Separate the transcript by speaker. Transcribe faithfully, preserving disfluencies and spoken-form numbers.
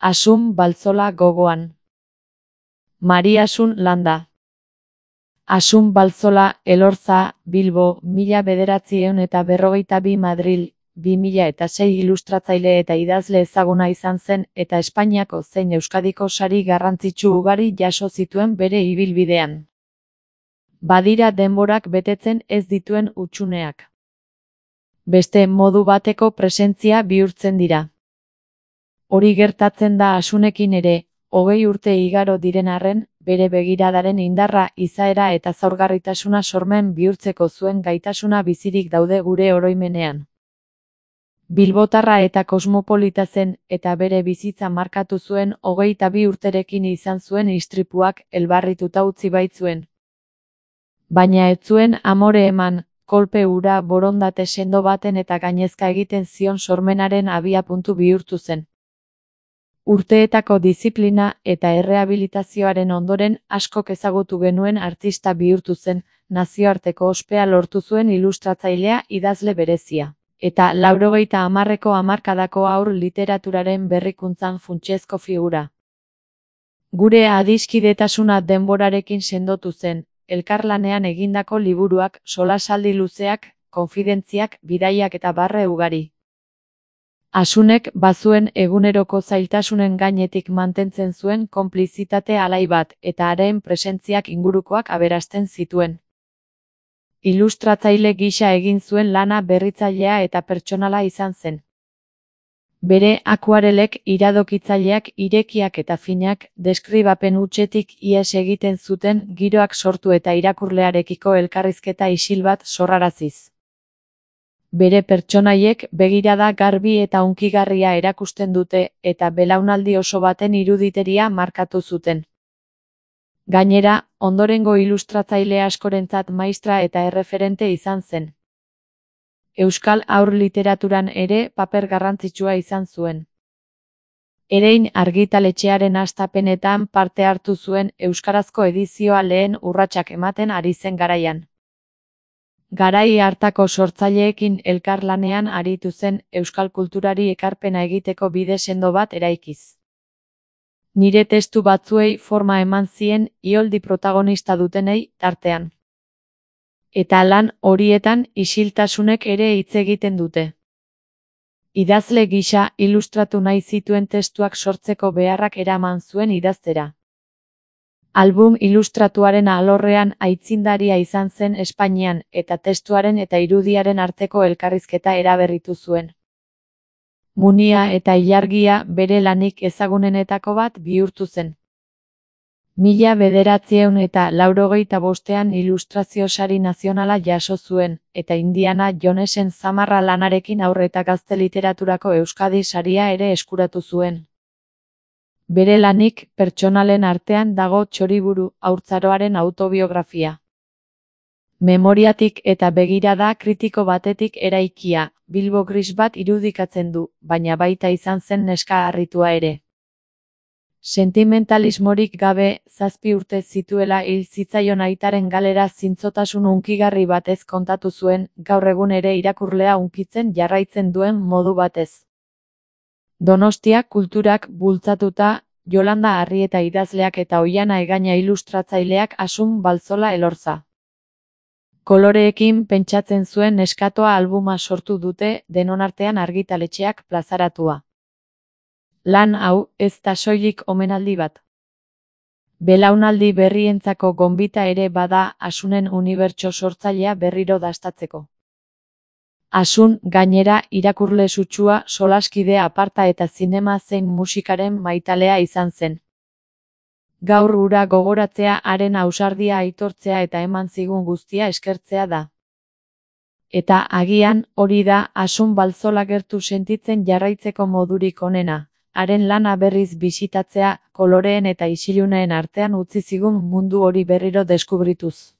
Speaker 1: Asun Baltzola gogoan. Mari Asun Landa. Asun Baltzola Elorza, Bilbo, mila bederatziehun eta berrogeita bi Madril, bi mila eta sei ilustratzaile eta idazle ezaguna izan zen eta Espainiako zein Euskadiko sari garrantzitsu ugari jaso zituen bere ibilbidean. Badira denborak betetzen ez dituen hutsuneak. Beste modu bateko presentzia bihurtzen dira. Hori gertatzen da Asunekin ere, hogei urte igaro diren arren, bere begiradaren indarra, izaera eta zaurgarritasuna sormen bihurtzeko zuen gaitasuna bizirik daude gure oroimenean. Bilbotarra eta kosmopolita zen eta bere bizitza markatu zuen hogeita bi urterekin izan zuen istripuak elbarrituta utzi baitzuen. Baina ez zuen amore eman, kolpe hura borondate sendo baten eta gainezka egiten zion sormenaren abiapuntu bihurtu zen. Urteetako diziplina eta errehabilitazioaren ondoren askok ezagutu genuen artista bihurtu zen, nazioarteko ospea lortu zuen ilustratzailea idazle berezia. Eta laurogeita hamarreko hamarkadako haur literaturaren berrikuntzan funtsezko figura. Gure adiskidetasuna denborarekin sendotu zen, elkarlanean egindako liburuak, solasaldi luzeak, konfidentziak, bidaiak eta barre ugari. Asunek bazuen eguneroko zailtasunen gainetik mantentzen zuen konplizitate alai bat eta haren presentziak ingurukoak aberasten zituen. Ilustratzaile gisa egin zuen lana berritzailea eta pertsonala izan zen. Bere akuarelek iradokitzaileak irekiak eta finak, deskribapen hutsetik ihes egiten zuten giroak sortu eta irakurlearekiko elkarrizketa isil bat sorraraziz. Bere pertsonaiek begirada garbi eta hunkigarria erakusten dute eta belaunaldi oso baten iruditeria markatu zuten. Gainera, ondorengo ilustratzaile askorentzat maistra eta erreferente izan zen. Euskal haur literaturan ere paper garrantzitsua izan zuen. Erein argitaletxearen hastapenetan parte hartu zuen euskarazko edizioa lehen urratsak ematen ari zen garaian. Garai hartako sortzaileekin elkarlanean aritu zen euskal kulturari ekarpena egiteko bide sendo bat eraikiz. Nire testu batzuei forma eman zien Ioldi protagonista dutenei tartean. Eta lan horietan isiltasunek ere hitz egiten dute. Idazle gisa ilustratu nahi zituen testuak sortzeko beharrak eraman zuen idaztera. Album ilustratuaren alorrean aitzindaria izan zen Espainian eta testuaren eta irudiaren arteko elkarrizketa eraberritu zuen. Munia eta ilargia bere lanik ezagunenetako bat bihurtu zen. Mila bederatziehun eta laurogeita bostean ilustrazio sari nazionala jaso zuen, eta Indiana Jonesen zamarra lanarekin haur eta gazte literaturako Euskadi saria ere eskuratu zuen. Bere lanik pertsonalen artean dago Txoriburu, haurtzaroaren autobiografia. Memoriatik eta begirada kritiko batetik eraikia, Bilbo gris bat irudikatzen du, baina baita izan zen neska harritua ere. Sentimentalismorik gabe, zazpi urte zituela hil zitzaion aitaren galera zintzotasun hunkigarri batez kontatu zuen, gaur egun ere irakurlea hunkitzen jarraitzen duen modu batez. Donostia kulturak bultzatuta, Jolanda Arrieta idazleak eta Oihana Egaña ilustratzaileak Asun Baltzola Elorza. Koloreekin pentsatzen zuen neskatoa albuma sortu dute, denon artean argitaletxeak plazaratua. Lan hau ez da soilik omenaldi bat. Belaunaldi berrientzako gonbita ere bada Asunen unibertso sortzailea berriro dastatzeko. Asun, gainera, irakurle sutsua, solaskide aparta eta zinema zein musikaren maitalea izan zen. Gaur hura gogoratzea haren ausardia aitortzea eta eman zigun guztia eskertzea da. Eta agian, hori da, Asun Baltzola gertu sentitzen jarraitzeko modurik onena. Haren lana berriz bisitatzea, koloreen eta isiluneen artean utzi zigun mundu hori berriro deskubrituz.